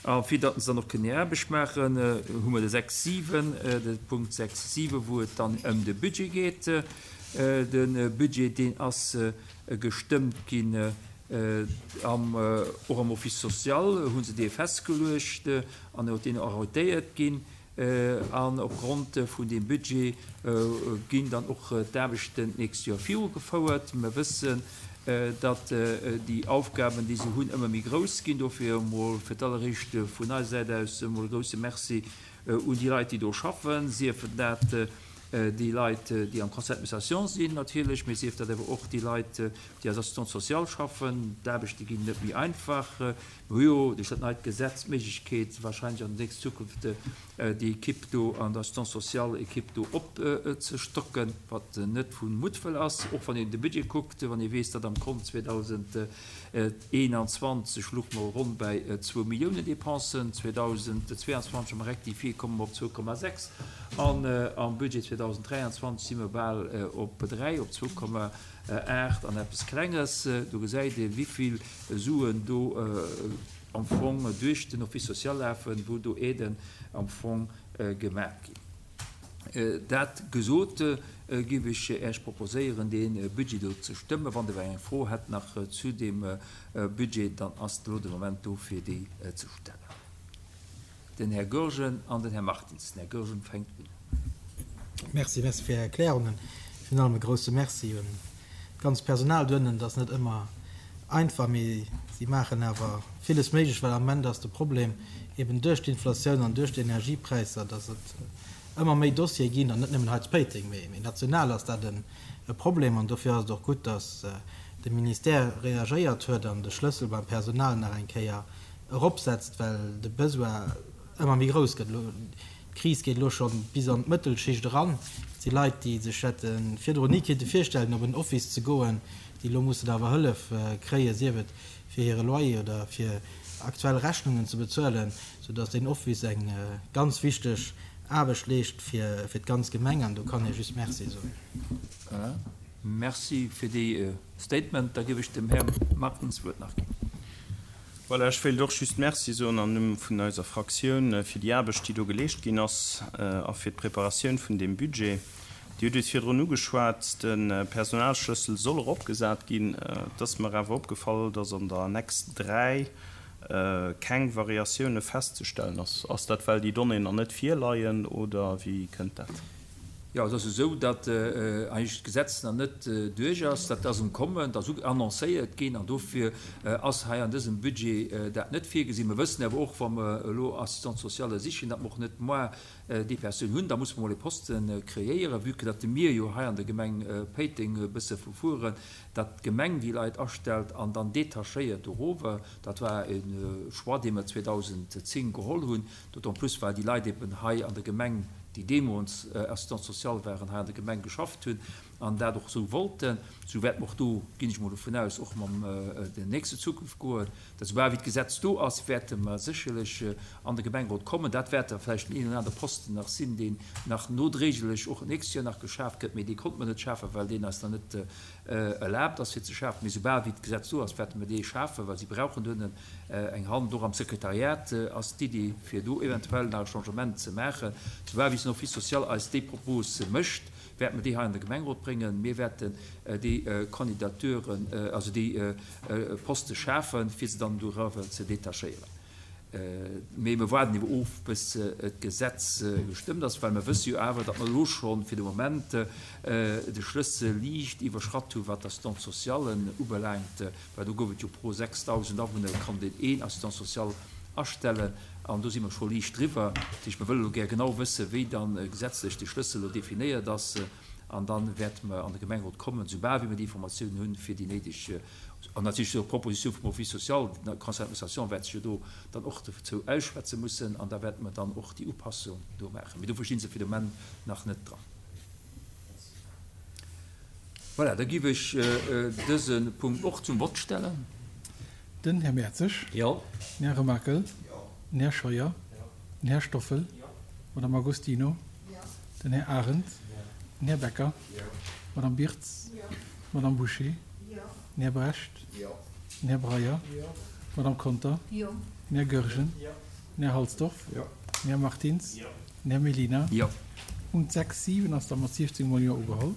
A fir datt se dann och kënnen hir Aarbecht maachen, hu mer de 6, 7, de Punkt 6, 7, wou et dann ëm de Budget geet. De Budget, deen ass gestëmmt ginn am, och am Office social hu se dee festgeluecht an huet deen arrêtéiert ginn. An opgrond vun deem Budget ginn dann och d'Aarbechten d'nächst Joer virugefouert. Mer wëssen, datt déi Aufgaben, déi se hunn, ëmmer méi grouss ginn. Dofir emol fir d'alleréischt vun eiser Säit aus emol e grouse Merci un déi Leit, déi do schaffen, sief dat déi Leit, déi am Conseil d'administration sinn natierlech, mee sief dat awer och déi Leit, déi als Assistante sociale schaffen. D'Aarbechte ginn net méi einfach. Mer hu jo duerch dat neit Gesetz d'Méiglechkeet, wahrscheinlech an der nächster Zukunft déi Equipe do an der Assistance sociale Equipe do opzestocken, wat net vu Muttwëll ass, och wann een de Budget kuckt, wann ee weess, datt am Kont 2021 louche mer ronn bäi zwou Milliounen Dépensen, 2022 am Rectifié komme mer op 2,6 an am Budget 2023 si mer bal op 3, op 2,8 an eppes Klenges. Do gesäit ee wéivill Suen do am Fong duerch den Office social lafen, wou do Aiden am Fong gemaach ginn. Dat gesot, géif ech Äech proposéieren, dee Budget do ze stëmmen. Wann Der eng Fro hätt nach zu deem Budget, dann ass elo de Moment do, fir déi ze stellen. Den Här Goergen an den Här Martins. Den Här Goergen fänkt un. Merci, merci fir Är Erklärungen. Virun allem e grouse Merci un d'ganz Personal doënnen. Dat ass net ëmmer einfach, mee si maachen awer villes méiglech, well am Ament ass de Problem eben duerch d'Inflatioun an duerch d'Energiepräisser, dass et ëmmer méi Dossiere ginn, an net nëmmen hei zu Péiteng, mee national ass dat e Problem. An dofir ass et och gutt, dass de Ministère reagéiert huet an de Schlëssel beim Personal nach eng Kéier eropsetzt, well de Besoin ëmmer méi grouss gëtt. Elo, d'Kris geet elo scho bis an d'Mëttelschicht eran. Et si Leit, déi sech hätte virdrun ni kéinte virstellen, op en Office ze goen, déi elo mussen awer Hëllef kréien, sief et fir hire Loyer oder fir aktuell Rechnungen ze bezuelen, soudass deen Office eng ganz wichteg Aarbecht leescht fir d'ganz Gemeng. An do kann ee just Merci soen. Merci fir déi Statement. Da géif ech dem Här Martins d'Wuert nach ginn. Voilà, ech wéilt och just Merci soen am Numm vun eiser Fraktioun fir déi Aarbecht, déi do geleescht ginn ass a fir d'Preparatioun vun deem Budget. Dir hutt et virdrun ugeschwat, de Personalschlëssel soll eropgesat ginn. Et ass mer awer opgefall, dass an der Annex 3 keng Variatioune festzestellen ass. Ass dat, well déi Donnéeën nach net virleien oder wéi kënnt dat? Jo, et ass esou, datt eigentlech d'Gesetz nach net duerch ass. Dat ass um Kommen, dat ass annoncéiert ginn an dofir ass hei an dësem Budget dat net virgesinn. Mer wëssen awer och, wa mer elo Assistante-sociale sichen, datt mer och net moar déi Persoun hunn. Da musse mer emol e Poste kreéieren, vue que datt mir jo hei an der Gemeng Péiteng e bësse vu fueren, datt d'Gemeng déi Leit astellt an dann detachéiert dorower. Dat war e Choix, dee mer 2010 geholl hunn. D'autant plus well déi Leit eben hei an der Gemeng, déi deemools Assistants sociales waren, hei an der Gemeng geschafft hunn an dat och esou wollten. Esou wäerte mer och do, ginn ech emol dovun aus, och mam der nächster Zukunft goen, datt esoubal wéi d'Gesetz do ass, wäerte mer sécherlech an de Gemengerot kommen. Dat wäert da vläicht den een oder anere Posten nach sinn, deen nach nodréiglech och d'nächst Joer nach geschaaft gëtt, mee dee konnte mer net schafen, well deen eis nach net erlaabt ass fir ze schafen. Mee soubal wéi d'Gesetz do ass, wäerte mer dee schafen, well si brauchen duerno eng Hand. Och am Sekretariat ass d'Iddi fir do eventuell nach e Changement ze maachen. Soubal wéi den Office social eis déi Propos mécht, wäerte mer déi hei an de Gemengerot bréngen. Mir wäerten déi Kandidaturen, also déi Poste schafen, fir se dann doriwwer ze detachéieren. Mee mir waarden ebe of, bis d'Gesetz gestëmmt ass, well mir wësse jo awer, datt mer elo scho fir de Moment de Schlëssel liicht iwwerschratt hu wat d'Assistante-socialen ubelaangt, well do gouf et jo pro 6.000 Awunner konnt een een Assistant social astellen an do si mer scho liicht driwwer. Dat heescht, mir wëlle elo gär genau wëssen, wéi da gesetzlech de Schlëssel elo definéiert ass an da wäerte mer an de Gemengerot kommen, soubal wéi mer déi Informatiounen hunn, fir déi néideg An natierlech och d'Proposition vum Office social, den Conseil d'administration wäert sech jo do dann och dozou ausschwätze mussen an da wäerte mer dann och déi Upassung do maachen. Mee dofir sti se fir de Moment nach net dran. Voilà, da géif ech dëse Punkt och zum Vott stellen. Den Här Mertzig. Jo. Den Här Remakel. Jo. Den Här Scheuer. Jo. Den Här Stoffel. Jo. D'Madame Agostino. Jo. Den Här Arendt. Jo. Den Här Becker. Jo. D'Madame Birtz. Jo. D'Madame Bouché. Jo. Den Här Brecht. Jo. Den Här Breyer. Jo. D'Madame Conter. Jo. Den Här Goergen. Jo. Den Här Halsdorf? Jo. Den Här Martins? Jo. Den Här Mellina? Jo. Punkt 6, 7 ass da mat 17 mol Jo ugeholl.